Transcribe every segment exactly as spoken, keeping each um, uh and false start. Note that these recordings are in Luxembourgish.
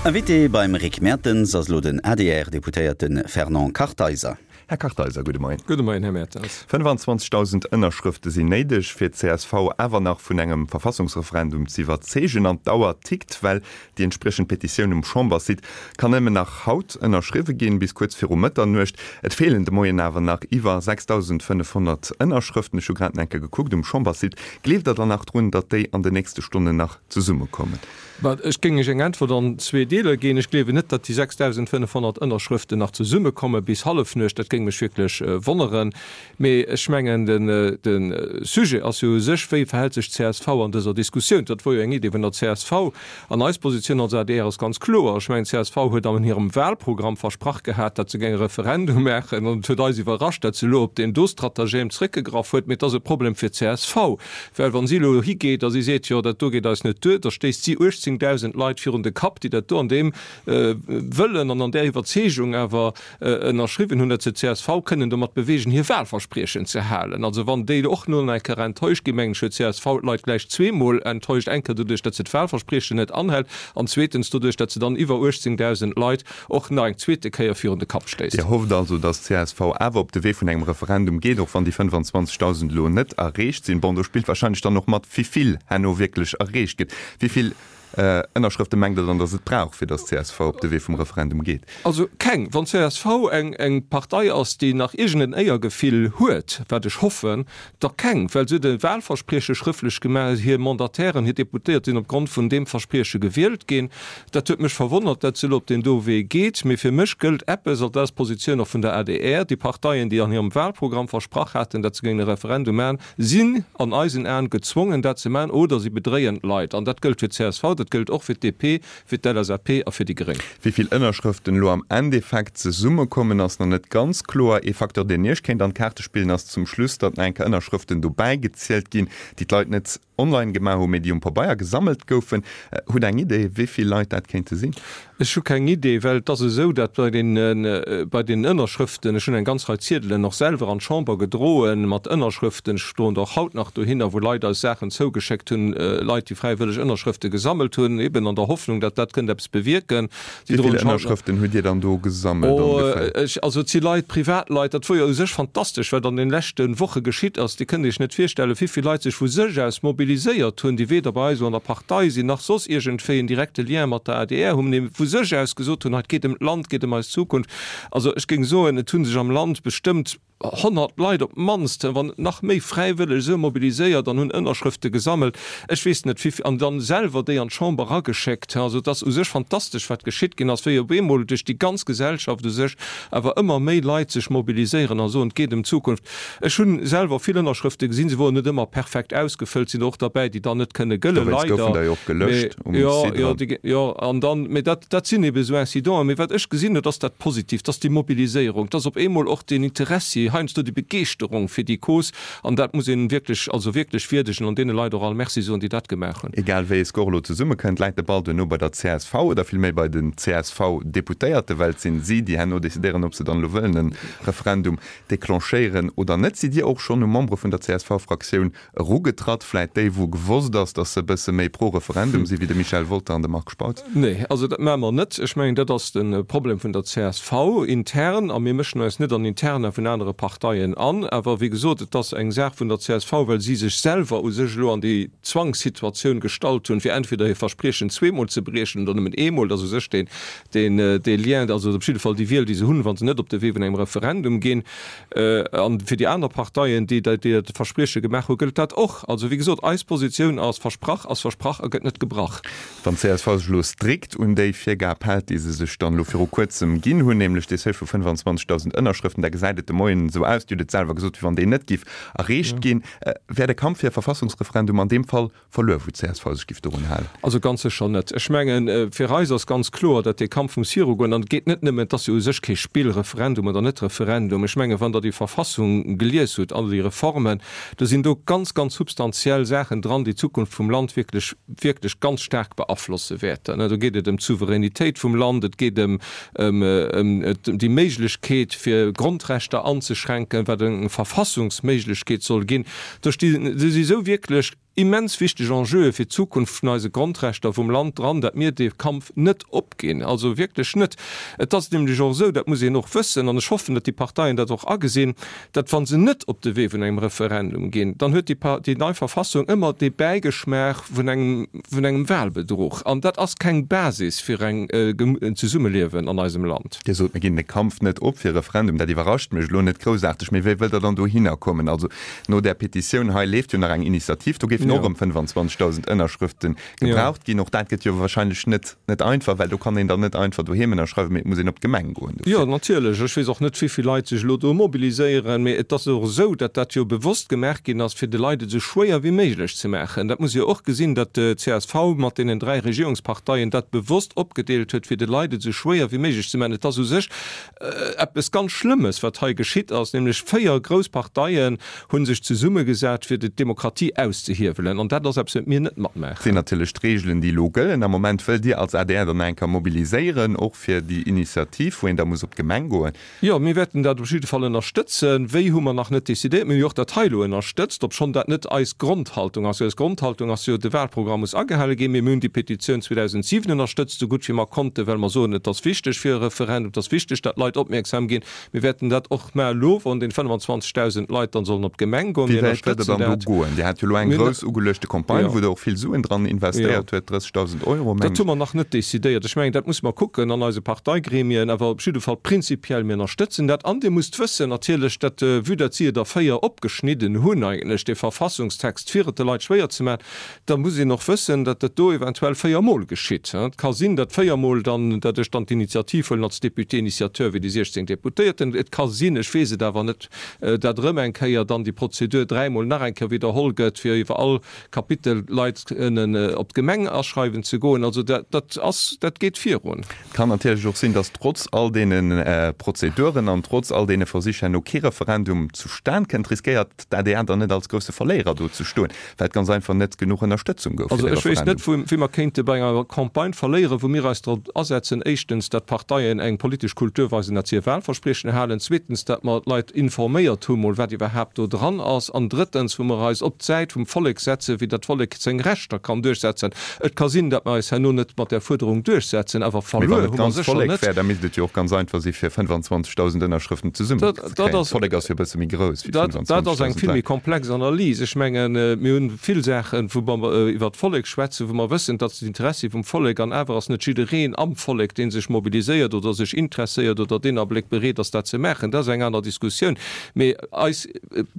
Invité beim Rick Mertens ass elo den A D R-Deputéierte Fernand Kartheiser. Här Kartheiser, gudde Moien. Gudde Moien, Här Mertens. fënnefanzwanzegdausend Ënnerschrëfte sinn néideg, fir d'C S V awer nach vun engem Verfassungsreferendum ze iwwerzeegen. An d'Auer tickt, well déi entspriechend Petitioun um Chamberssite kann nëmmen nach haut ënnerschriwwe ginn, bis kuerz viru Mëtternuecht. Et feelen de Moien awer nach iwwer sechsdausendfënnefhonnert Ënnerschrëften. Ech hu grad nach eng Kéier gekuckt um Chamberssite. Gleeft Der dann nach drun, datt déi an den nächste Stonnen nach zesummekommen? Ech géing Iech eng Äntwert an zwee Deeler ginn. Ech gleewen net, datt déi sechsdausendfënnefhonnert Ënnerschrëften nach zesummekomme bis Hallefnuecht. Dat géing mech wierklech wonneren. Mee ech mengen, de Sujet ass jo u sech, Wéi verhält sech d'C S V an dëser Diskussioun? Dat wor jo eng Idee vun der C S V. An eis Positioun als A D R ass ganz kloer. Ech mengen, d'C S V huet an hirem Wahlprogramm versprach gehat, datt se géing e Referendum maachen. An et huet eis iwwerrascht, datt se elo op deen do Stratagem zréckgegraff huet. Mee et ass e Problem fir d'C S V, well wa si elo higeet a si seet, jo, dat do geet eis net duer, da stéisst si uechtzéngdausend Leit virun de Kapp, déi dat do an deem Wëllen an an där Iwwerzeegung awer ënnerschriwwen hunn, datt se d'C S V kënnen domat beweegen, hir Wahlverspriechen ze halen. Also wann déi och no eng Kéier enttäuscht ginn, mengen ech, huet d'C S V d'Leit gläich zweemol enttäuscht, eng Kéier doduerch, datt se d'Wahlverspriechen net anhält, an zweetens doduerch, datt se dann iwwer uechtzéngdausend Leit och nach eng zweete Kéier virun de Kapp stéisst. Dir hofft also, datt d'C S V awer op de Wee vun engem Referendum geet, och wann déi fënnefanzwanzegdausend elo net erreecht sinn. Bon, do spillt wahrscheinlech dann och mat, wéi vill herno wierklech erreecht gëtt. Wéi vill Ënnerschrëfte mengt Der dann, datt et brauch, fir datt d'C S V op de Wee vum Referendum geet? Also keng. Wann d'C S V eng eng Partei ass, déi nach iergend en Éiergefill huet, wat ech hoffen, da keng, well se huet e Wahlversprieche schrëftlech gemaach, hir Mandatairen, hir Deputéiert sinn opgrond vun deem Versprieche gewielt ginn. Dat huet mech verwonnert, datt se elo op deen do Wee geet. Mee fir mech gëllt eppes, an dat ass d'Positioun och vun der A D R, Déi Parteien, déi an hirem Wahlprogramm versprach haten, datt se géingen e Referendum maachen, sinn an eisen Aen gezwongen, dat ze maachen, oder si bedréien d'Leit. An dat gëllt fir d'C S V, dat gëllt och fir d'D P, fir d'L S A P a fir déi Gréng. Wéi vill Ënnerschrëften elo am Endeffekt zesummekommen, ass nach net ganz kloer. Ee Facteur, deen Iech kéint an d'Kaarte spillen, ass zum Schluss, datt nach eng Kéier Ënnerschrëften dobäi gezielt ginn, déi d'Leit net online gemaach hunn, mee déi um Pabeier gesammelt goufen. Hutt Der eng Idee, wéi vill Leit dat kéinte sinn? Ech hu keng Idee, well et ass esou, datt bei den, bei den Ënnerschrëften, ech hunn eng ganz Rei Ziedelen och selwer an d'Chamber gedroen mat Ënnerschrëften, ech stoen der och haut nach dohinner, wou Leit eis Saachen zougeschéckt hunn, Leit, déi fräiwëlleg Ënnerschrëfte gesammelt hunn, eben an der Hoffnung, datt dat kënnt eppes bewierken. Wéi vill Ënnerschrëften hutt Dir dann do gesammelt ongeféier? Ech, also et si Leit, Privatleit, dat wor jo u sech fantastesch, wat an den leschte Woche geschitt ass. Dir kënnt Iech net virstellen, wéi vill Leit sech vu sech aus mobiliséiert hunn, déi weder bei eis elo an der Partei sinn, nach soss iergendwéi en direkte Lien mat der A D R hunn, mee vu sech aus gesot hunn, hei et geet ëm d'Land, et geet ëm eis Zukunft. Also ech géing soen, et hu sech am Land bestëmmt honnert Leit op d'mannst, wann net nach méi, fräiwëlleg esou mobiliséiert an hunn Ënnerschrëfte gesammelt, ech weess net wéi, an dann selwer déi an d'Chamber erageschéckt. Also et ass u sech fantastesch, wat geschitt ginn ass, wéi op eemol duerch déi ganz Gesellschaft u sech awer ëmmer méi Leit sech mobiliséieren a soen, et geet ëm d'Zukunft. Ech hu selwer vill Ënnerschrëfte gesinn, se woren net ëmmer perfekt ausgefëllt, sinn der och derbäi, déi dann net kënne gëllen, Dowéinst goufen leider. der jo och gelöscht Mee um jo, Site jo, eran. déi, jo, an dann, mee dat, dat sinn ebe esou Incidenten. Mee wat ech gesinn hunn, dat ass dat Positiivt, dat ass déi Mobiliséierung, dat ass op eemol och deen Interessi, heiansdo déi Begeeschterung fir déi Cause, an dat muss een wierklech, also wierklech wierdegen an deene Leit och all Merci soen, déi dat gemaach hunn. Egal wéi e Score elo zesummekënnt, läit de Ball duerno bei der C S V oder villméi bei den C S V-Deputéierte, well et sinn si, déi herno decidéieren, ob se dann elo wëllen e Referendum declenchéieren oder net. Sidd Dir och schonn u Membere vun der C S V-Fraktioun erugetratt, vläit déi, wou gewosst ass, datt se e bësse méi pro Referendum si wéi de Michel Wolter an de Marc Spautz? Nee, also dat maache mer net. Ech mengen, dat ass de Problem vun der C S V intern a mir mëschen eis net an Interna vun anere Parteien an. Awer wéi gesot, et ass eng Saach vun der C S V, well si sech selwer u sech elo an déi Zwangssituatioun gestallt hunn, fir entweder hir Verspriechen zweemol ze briechen oder nëmmen eemol. Dat ass u sech deen, deen, dee Lien, also op jidde Fall déi Wiel, déi se hunn, wa se net op de Wee vun engem Referendum ginn. An fir déi aner Parteien, déi déi dat Versprieche gemaach hunn, gëllt dat och. Also wéi gesot, eis Positioun ass, Versprach ass versprach a gëtt net gebrach. Wann d'C S V sech elo strikt un déi Virgab hält, déi se sech dann elo viru kuerzem ginn hunn, nämlech dee Seuil vu fënnefanzwanzegdausend Ënnerschrëften, da gesäit et de Moien esou aus, Dir hutt et selwer gesot, wéi wann deen net giff erreecht ginn, wär de Kampf fir e Verfassungsreferendum an deem Fall verluer, wou d'C S V sech giff dorun halen? Also ganz sécher net. Ech mengen, fir eis ass ganz kloer, datt dee Kampf muss virugoen. An et geet net nëmmen, et ass jo u sech kee Spill, Referendum oder net Referendum. Ech mengen, wann Der déi Verfassung gelies hutt, all déi Reformen, do sinn do ganz, ganz substantiell Saachen dran, déi d'Zukunft vum Land wierklech, wierklech ganz staark beaflosse wäerten. Do geet et ëm d'Souveränitéit vum Land, et geet ëm, ëm, ëm déi Méiglechkeet, fir Grondrechter anzeschränken, wat eng Verfassungsméiglechkeet soll ginn. Do sti, do si sou wierklech immens wichteg Enjeue fir d'Zukunft vun eise Grondrechter vum Land dran, datt mir dee Kampf net opginn, also wierklech net. Et ass nämlech och esou, dat muss een och wëssen, an ech hoffen, datt déi Parteien dat och agesinn, datt wa se net op de Wee vun engem Referendum ginn, dann huet déi, déi nei Verfassung ëmmer dee Bäigeschmaach vun engem, vun engem Wahlbedruch. An dat ass keng Basis fir eng, en Zesummeliewen an eisem Land. Dir sot, mir ginn de Kampf net op fir e Referendum. Dat iwwerrascht mech elo net groussaarteg. Mee wéi wëllt Der dann dohinner kommen? Also no där Petitioun hei leeft jo nach eng Initiativ, do géifen och erëm fënnefanzwanzegdausend Ënnerschrëfte gebraucht ginn. Och dat gëtt jo wahrscheinlech net, net einfach, well do kann een dann net einfach doheem ënnerschreiwen, mee et muss een op d'Gemeng goen dofir. Jo, natierlech. Ech weess och net, wéi vill Leit sech elo do mobiliséieren, mee et ass och esou, datt dat jo bewosst gemaach ginn ass, fir de Leit et esou schwéier wéi méiglech ze maachen. Dat muss ee jo och gesinn, datt d'CSV mat deenen dräi Regierungsparteien dat bewosst opgedeelt huet, fir de Leit et esou schwéier wéi méiglech ze maachen. Et ass u sech eppes ganz Schlëmmes, wat hei geschitt ass, nämlech véier grouss Parteien hu sech zesummegesat, fir d'Demokratie auszehiewelen. An dat ass eppes, wat mir net matmaachen. Sinn natierlech d'Reegelen, déi elo gëllen. Am Moment wëllt Dir als adr dann nach eng Kéier mobiliséieren, och fir déi Initiativ, wou een da muss op d'Gemeng goen. Jo, mir wäerten dat op jidde Fall ënnerstëtzen. Wéi hu mer nach net decidéiert. Mir hu jo och dat hei elo ënnerstëtzt, obschonn dat net eis Grondhaltung ass. Eis Grondhaltung ass jo, de Wahlprogramm muss agehale ginn. Mir hunn déi Petitioun zweedausentsiwen ënnerstëtzt, esou gutt wéi mer konnten, well mer soen, et ass wichteg fir e Referendum, et ass wichteg, datt d'Leit opmierksam ginn. Mir wäerten dat och mä elo, wann den fënnefanzwanzegdausend Leit dann sollen op d'Gemeng goen, Wéi mir wäit wëllt Der ënnerstëtzen dann do dat. goen? Dir hat jo elo eng Mir grouss ugeluechte Campagne, Jo. wou Der och vill Suen dran Jo. investéiert huet, drëssegdausend Euro, Dat mengen hu ech. mer nach net decidéiert. Ech mengen, dat musse mer kucken an eise Parteigremien, awer op jidde Fall prinzipiell, mir ënnerstëtzen dat. An Dir musst wëssen natierlech, datt, vue datt si et a véier opgeschnidden hunn eigentlech, dee Verfassungstext, fir et de Leit schwéier ze maachen, da muss een och wëssen, datt dat do eventuell véiermol geschitt. Et ka sinn, datt véiermol dann, datt ech dann d'Initiativ huelen als Député initiateur wéi déi siechzéng Deputéierten. Et ka sinn, ech weess et awer net, datt erëm eng Kéier dann déi Prozedur dräimol nach eng Kéier widderholl gëtt, fir iwwer all Kapitel Leit kënnen op d'Gemeng aschreiwen ze goen. Also dat, dat ass, dat geet virun. Et kann natierlech och sinn, datt trotz all deene Prozeduren an trotz all deene Versich herno kee Referendum zustan kënnt. Riskéiert d'ADR dann net als grousse Verléierer do ze stoen, well et ganz einfach net genuch Ënnerstëtzung gouf fir Also de ech wéisst Referendum? net, wou, wéi mer kéinte bei enger Campagne verléieren, wou mir eis drop asetzen, éischtens, datt d'Parteien eng politesch Kultur weisen, datt se hir Wahlverspriechen halen, zweetens, datt mer d'Leit informéiert hu mol, wat iwwerhaapt do dran ass, an drëttens, wou mer eis op d'Säit vum Vollek setzen, wéi dat d'Vollek seng Rechter kann duerchsetzen. Et ka sinn, datt mer eis herno net mat där Fuerderung duerchsetzen, awer Mee wann verluer et hu mer d'ganzt sécher Vollek net. wär, da misst et jo och ganz einfach si fir fënnefanzwanzegdausend Ënnerschrëften zesummen Dat, ze dat kréien. ass, D'Vollek ass jo e bësse méi grouss wéi dat, dat ass eng fënnefanzwanzegdausend vill méi Leit. komplex Analys. Ech mengen, mir hunn vill Saachen, wou mer iwwert d'Vollek schwätzen, wou mer wëssen, dat ass d'Interessi vum Vollek, an awer ass net jiddereen am Vollek, dee sech mobiliséiert oder sech interesséiert oder deen Abléck bereet ass, dat ze maachen. Dat ass eng aner Diskussioun. Mee eis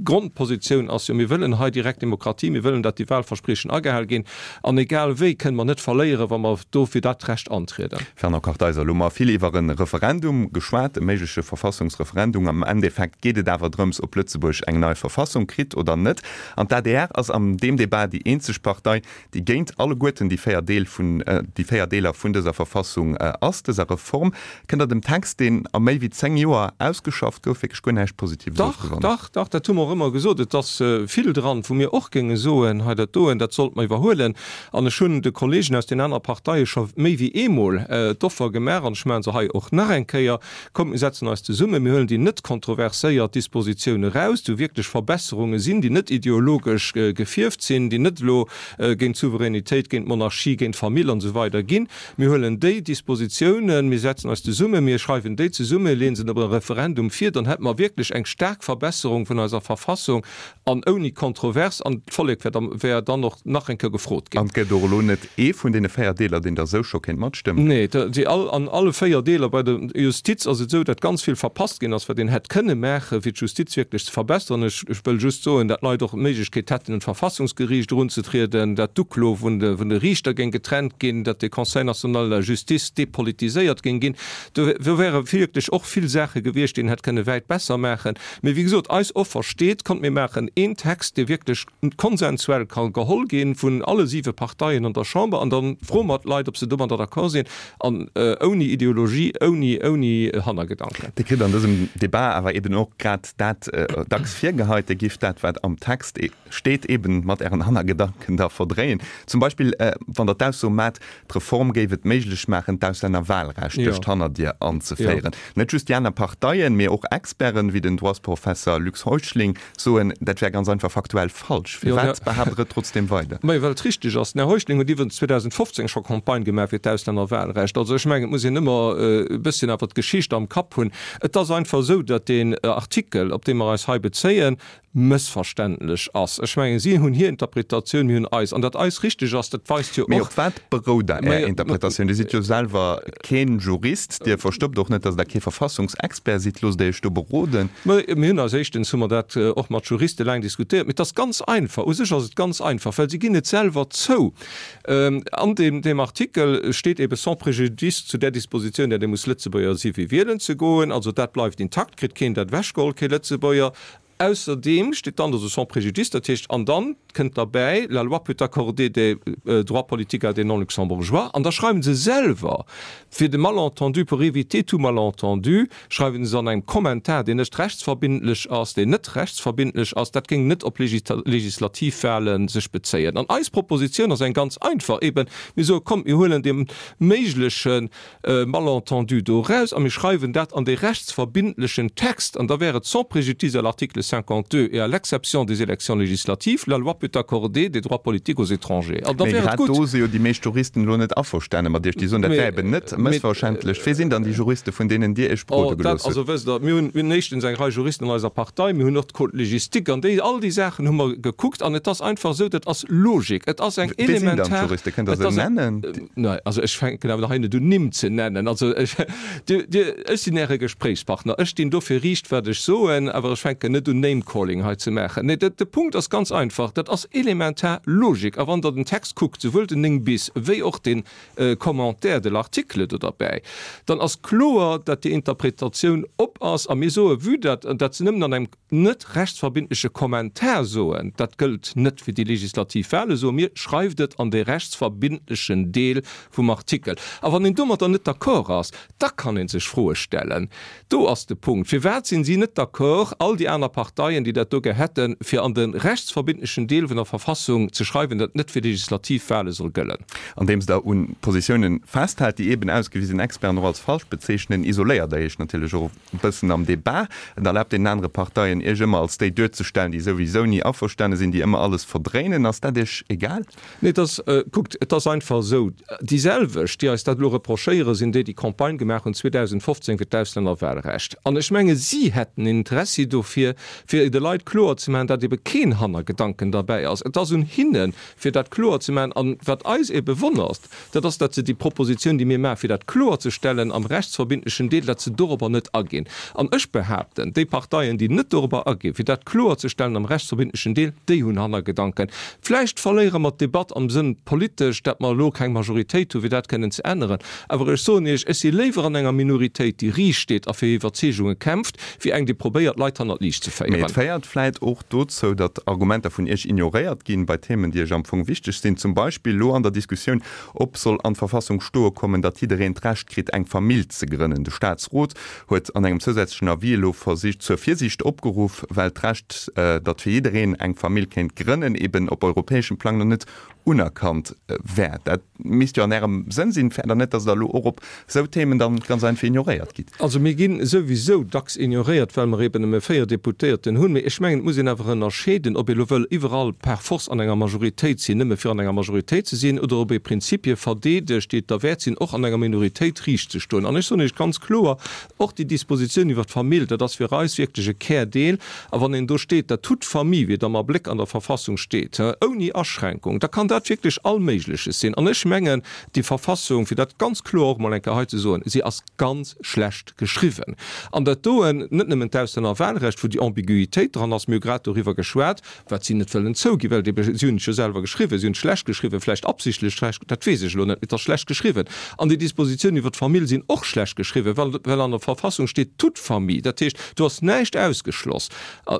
Grondpositioun ass jo, mir wëllen hei direkt Demokratie, mir wëllen, datt déi Wahlverspriechen agehal ginn, an egal wéi kënne mer net verléieren, wa mer do fir dat Recht antrieden. Fernand Kartheiser, Elo hu mer vill iwwer e Referendum geschwat, e méigleche Verfassungsreferendum. Am Endeffekt geet et awer drëms, ob Lëtzebuerg eng nei Verfassung kritt oder net. An d'ADR ass an deem Debat déi eenzeg Partei, déi géint alleguerten déi véier Deel vun, déi véier Deeler vun dëser Verfassung ass, dëser Reform. Kënnt Der dem Text, deen a méi wéi zéng Joer ausgeschafft gouf, wierklech guer näischt Positives Dach, ofgewannen? dach, dach, dat hu mer och ëmmer gesot. Et ass vill dran, wou mir och géinge soen, hei dat doen, dat sollte mer iwwerhuelen. An ech hunn de Kollegen aus den anere Parteie scho méi wéi eemol d'Offer gemaach, an ech maache se hei och nach eng Kéier, Kommt, mir setzen eis zesummen, mir huelen déi net kontroverséiert Dispositioune raus, wou wierklech Verbesserunge sinn, déi net ideologesch gefierft sinn, déi net elo géint d'Souveränitéit, géint d'Monarchie, géint d'Famill an esou weider ginn. Mir huelen déi Dispositiounen, mir setzen eis zesummen, mir schreiwen déi zesummen, leeën se op e Referendum vir, dann hätte mer wierklech eng staark Verbesserung vun eiser Verfassung an ouni Kontrovers, an d'Vollek wär dann, wär dann och nach eng Kéier gefrot ginn. An et gëtt och elo net ee vun deene véier Deeler, deen Der esou scho kéint matstëmmen? Nee, déi all, an alle véier Deeler. Bei der Justiz ass et esou, datt ganz vill verpasst ginn ass, wat een hätt kënne maachen, fir d'Justiz wierklech ze verbessern. Ech, ech wëll just soen, datt d'Leit och d'Méiglechkeet hätten, un d'Verfassungsgeriicht erunzetrieden, datt d'Uklo vun de, vun de Riichter géing getrennt ginn, datt de Conseil national de la justice depolitiséiert géing ginn. Do, do wäre wierklech och vill Saache gewiescht, déi een hätt kënne wäit besser maachen. Mee wéi gesot, eis Offer steet, Kommt, mir maachen een Text, dee wierklech konsensuell ka geholl gi vun alle siwe Parteien an der Chamber, an da froe mer d'Leit, ob se domadder d'accord sinn, an ouni Ideologie, ouni, ouni Hannergedanken. Dir kritt an dësem Debat awer eben och grad dat dacks virgeheit, Dir gift dat, wat am Text steet, eben mat Ären Hannergedanken da verdréien. Zum Beispill, wann Der d'Ausso maacht, d'Reform géif et méiglech maachen, d'Auslännerwahlrecht duerch d'Hannerdier anzeféieren. Net just déi aner Parteien, mee och Experten, wéi den Droitsprofesser Luc Heuschling, soen, dat wär ganz einfach faktuell falsch. Firwat behaapt Der et trotzdem weider? Majo, well et richteg ass. Den Här Heuschling huet iwwregens zweedausendfofzéng scho Campagne gemaach fir d'Auslännerwahlrecht. Also ech mengen, et muss een ëmmer e bësschen awer d'Geschicht am Kapp hunn. Et ass einfach esou, datt deen Artikel, op dee mer eis hei bezéien, mëssverständlech ass. Ech mengen, si hunn hir Interpretatioun, mir hunn eis. An datt eis richteg ass, dat weist jo Mee och. op wat berout da Är Interpretatioun? Dir sidd jo selwer keen Jurist, Dir verstoppt och net, datt Der kee Verfassungsexpert sidd. Loosst Der Iech do beroden? Mir hunn eis, éischtens hu mer dat och mat Juriste laang diskutéiert, mee et ass ganz einfach, u sech ass et ganz einfach, well si ginn et selwer zou. An deem, deem Artikel steet ebe sans préjudice zu där Dispositioun, datt ee muss Lëtzebuerger si fir wielen ze goen. Also dat bleift intakt, kritt keen dat ewechgeholl, kee Lëtzebuerger. Ausserdeem steet dann do sans préjudice, dat heescht, an dann kënnt derbäi, la loi peut accorder des droits politiques à des non-luxembourgeois, an da schreiwen se selwer, fir de Malentendu, pour éviter tout malentendu, schreiwen se an engem Kommentar, deen net rechtsverbindlech ass, deen net rechtsverbindlech ass, dat géing net op Legislativwahlen sech bezéien. An eis Propositioun ass eng ganz einfach, eben, mir soe kommt, mir huelen dee méigleche Malentendu do eraus a mir schreiwen dat an dee rechtsverbindlechen Text, an da wär et sans préjudice à l'article cinquante-deux et à l'exception des élections législatives, la loi peut accorder des droits politiques aux étrangers. An da Mee wär et grad gutt. do si jo déi meescht Juristen elo net averstane mat Iech, déi soen, dat wär Mee, eben net mee, mëssverständlech. Wie sinn dann déi Juriste, vun deenen Dir Iech Oh, berode dat, gelooss hutt? also wësst Der, mir hunn, mir hunn éischtens eng Rei Juristen an eiser Partei, mir hunn och d'Code légistique an déi, all déi Saachen hu mer gekuckt an et ass einfach esou, dat ass Logik, et ass eng Wie sinn dann elementar, d'Juriste? Kënnt Der et se ass eng, nennen? Nei, also ech fänken awer hei net un Nimm ze nennen. Also ech, Dir, Dir, ech sinn Äre Gespréichspartner, ech stinn dofir riicht, wat ech soen, awer ech fänken net un Name-Calling hei ze maachen. Nee, de, de Punkt ass ganz einfach, dat ass elementar Logik. A wann Der den Text kuckt, souwuel den néng bis wéi och den Commentaire de l'article do derbäi, dann ass kloer, datt déi Interpretatioun op ass. A mir soe, vue datt, datt se nëmmen an engem net rechtsverbindleche Kommentar soen, dat gëllt net fir déi legislativ Wahlen, soe mir, schreift et an dee rechtsverbindlechen Deel vum Artikel. A wann een domatter net d'accord ass, da kann ee sech Froe stellen. Do ass de Punkt. Firwat sinn si net d'accord, all déi aner Parteien, déi dat do gär hätten, fir an de rechtsverbindlechen Deel vun der Verfassung ze schreiwen, datt net fir legislativ Wahle soll gëllen? Andeems Der un Positiounen festhalt, déi eben ausgewisen Experten och als falsch bezeechnen, isoléiert Der Iech natierlech och e bëssen am Debat. Et erlaabt deenen anere Parteien, Iech ëmmer als déi duerzestellen, déi souwisou ni averstane sinn, déi ëmmer alles verdréinen. Ass dat Iech egal? Nee, et ass, kuckt, et ass einfach esou, déi selwecht, déi eis dat elo reprochéieren, sinn déi, déi Campagne gemaach hunn zweedausendfofzéng fir d'Auslännerwahlrecht. An ech menge si hätten Interessi dofir, fir de Leit kloer ze maachen, datt ebe keen Hannergedanken derbäi ass. Et ass un hinnen, fir dat kloer ze maachen. An wat eis ebe wonnert, dat ass, datt se déi Propositioun, déi mir maachen, fir dat kloerzestellen am rechtsverbindlechen Deel, datt se dorobber net aginn. An ech behaapten, déi Parteien, déi net dorobber aginn, fir dat kloerzestellen am rechtsverbindlechen Deel, déi hunn Hannergedanken. Vläicht verléiere mer d'Debatt am Sënn politesch, datt mer elo keng Majoritéit hu fir dat kënnen ze änneren. Awer ech soen Iech, ech si léiwer an enger Minoritéit, déi riicht steet a fir hir Iwwerzeegunge kämpft, wéi eng, déi probéiert, Leit hannert d'Liicht ze Mee et féieren. féiert vläit och dozou, datt Argumenter vun Iech ignoréiert ginn bei Themen, déi Iech am Fong wichteg sinn. Zum Beispill elo an der Diskussioun, ob soll an d'Verfassung stoe kommen, datt jiddereen d'Recht kritt, eng Famill ze grënnen. De Staatsrot huet an engem zousätzlechen Avis elo zur Virsiicht opgeruff, well d'Recht, datt fir jiddereen eng Famill kéint grënnen, eben op europäeschem Plang nach net unerkannt wär. Dat misst jo an Ärem Sënn sinn. Fäert Der net, datt Der elo och op esou Themen dann ganz einfach ignoréiert gitt? Also mir gi souwisou dacks ignoréiert, well mer eben nëmme véier Deputéierten hunn. Mee ech mengen, et muss een awer ënnerscheeden, ob ee elo wëll iwwerall par force an enger Majoritéit sinn, nëmme fir an enger Majoritéit ze sinn, oder ob ee Prinzipie verdeedegt, déi et derwäert sinn, och an enger Minoritéit riicht ze stoen. An ech soen Iech ganz kloer, och déi Dispositioun iwwert d'Famill, dat ass fir eis wierklech e Kärdeel. A wann een do steet, dat toute famille, wéi et am Abléck an der Verfassung steet, ouni Aschränkung, da kann dat wierklech all Méigleches sinn. An ech mengen, déi Verfassung, fir dat ganz kloer och emol eng Kéier hei ze soen, si ass ganz schlecht geschriwwen. An dat doen, net nëmmen d'Auslännerwahlrecht, wou déi Ambiguïtéit dran ass, mir hu grad doriwwer geschwat, wat si net wëllen zouginn, well déi, si hunn et jo selwer geschriwwen, si hunn et schlecht geschriwwen, vläicht absichtlech schlecht, dat weess ech elo net, mee et ass schlecht geschriwwen. An déi Dispositiounen iwwer d'Famill sinn och schlecht geschriwwen, well, well an der Verfassung steet toute famille, dat heescht, do ass näischt ausgeschloss.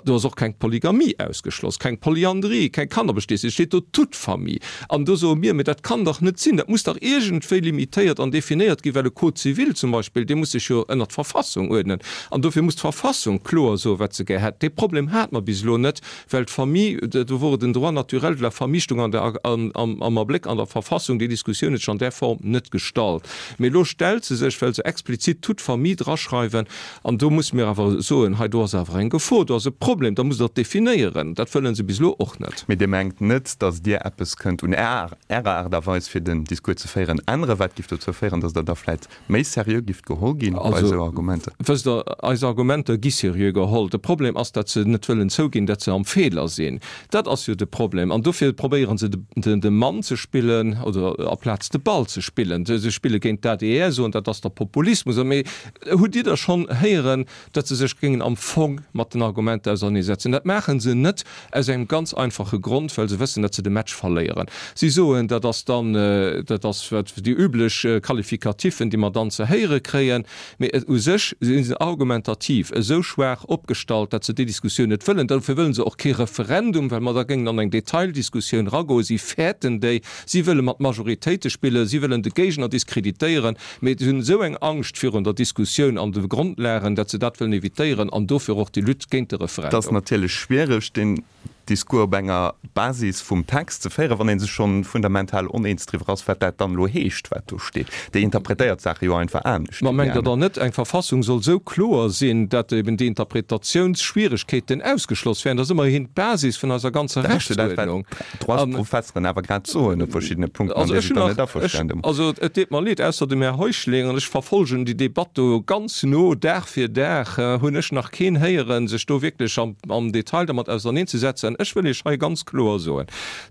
Do ass och keng Polygamie ausgeschloss, keng Polyandrie, keng Kannerbestietnis, et steet do toute famille. An do soe mir, Mee dat kann dach net sinn, dat muss dach iergendwéi limitéiert an definéiert ginn, well e Code civil zum Beispill, dee muss sech jo ënnert d'Verfassung uerdnen. An dofir muss d'Verfassung kloer soen, wat se gär hätt. Dee Problem hate mer bis elo net, well d'Famille, do wor et den Droit naturel de la famille stoung an der, am, am Abléck an der Verfassung. Déi Diskussioun huet sech an där Form net gestallt. Mee elo stellt se sech, well se explizit toute famille draschreiwen. An do musse mir awer soen, hei do ass awer eng Gefor, do ass e Problem, da musst Der et definéieren. Dat wëlle se bis elo och net. Mee Dir mengt net, datt Dir eppes kënnt un Ärer Aart a Weis, fir den Discours ze féieren, änneren, wat giff dozou féieren, datt Der da vläit méi seriö gifft geholl ginn bei esou Argumenter? Also, wësst Der, eis Argumenter gi seriö geholl. De Problem ass, datt se net wëllen zouginn, datt se am Feeler sinn. Dat ass jo de Problem. An dofir probéiere se de Mann ze spillen oder aplaz de Ball ze spillen. Se spille géint d'ADR, soen, dat ass da Populismus. Mee hutt Dir da schonn héieren, datt se sech géingen am Fong mat den Argumenter auserneesetzen? Dat maache se net aus engem ganz einfache Grond, well se wëssen, datt se de Match verléieren. Si soen, dat ass dann, dat ass wat déi üblech Qualificatifen, déi mer dann ze héiere kréien. Mee u sech si se argumentativ esou schwaach opgestallt, datt se déi Diskussioun net wëllen. Dofir wëlle se och kee Referendum, well mer da géingen an eng Detaildiskussioun eragoen. Si fäerten déi. Si wëlle mat Majoritéite spillen. Si wëllen de Géigner diskreditéieren. Mee si hunn esou eng Angscht virun der Diskussioun an de Grondlagen, datt se dat wëllen evitéieren an dofir och déi Lutte géint de Et ass Referendum. natierlech schwiereg, deen Discours op enger Basis vum Text ze féieren, wann ee sech schonn fundamental oneens driwwer ass, wat dat dann elo heescht, wat do steet. Déi interpretéiert d'Saache jo einfach anescht Ma wéi déi mengt Der aner. dann net, eng Verfassung soll esou kloer sinn, datt eben déi Interpretatiounsschwieregkeeten ausgeschloss wären? Dat ass ëmmerhin d'Basis vun eiser ganzer Dat ass jo dat, wat Rechtsuerdnung. d'Droitsprofesseren awer grad soen op verschiddene Punkten, an Also Dir ech sidd hunn dann net nach, ech, averstanen. also et deet mer leed, ausser dem Här Heuschling, an ech verfolgen déi Debatt do ganz no, Dag fir Dag, hunn ech nach keen héieren, sech do wierklech am, am Detail dermat auserneenzesetzen. Ech wëll Iech hei ganz kloer soen,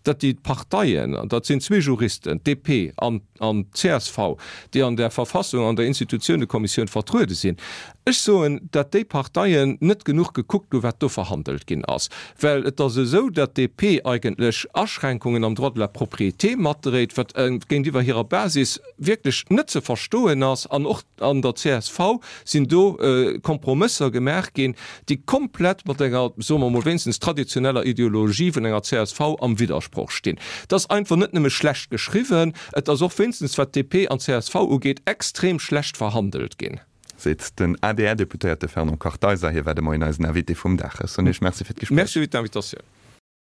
datt déi Parteien, an dat sinn zwee Juristen, d'DP an, an d'CSV, déi an der Verfassung, an der Institutionekommissioun vertruede sinn, ech soen, datt déi Parteien net genuch gekuckt hu wat do verhandelt ginn ass. Well et ass esou, datt d'DP eigentlech Aschränkungen am Droit de la propriété matdréit, wat géintiwwer hirer Basis wierklech net ze verstoen ass, an och an der csv sinn do Kompromësser gemaach ginn, déi komplett mat enger, soe mer emol, wéinstens traditioneller Ideologie vun enger csv am Widdersproch stinn. Et ass einfach net nëmme schlecht geschriwwen, et ass och, wéinstens wat DP an csv ugeet, extrem schlecht verhandelt ginn. Seet den ADR-Deputéierte Fernand Kartheiser. Hie war de Moien eisen Invité vum Dag. Ech soen Iech Merci fir d'Gespréich. Merci fir d'Invitatioun.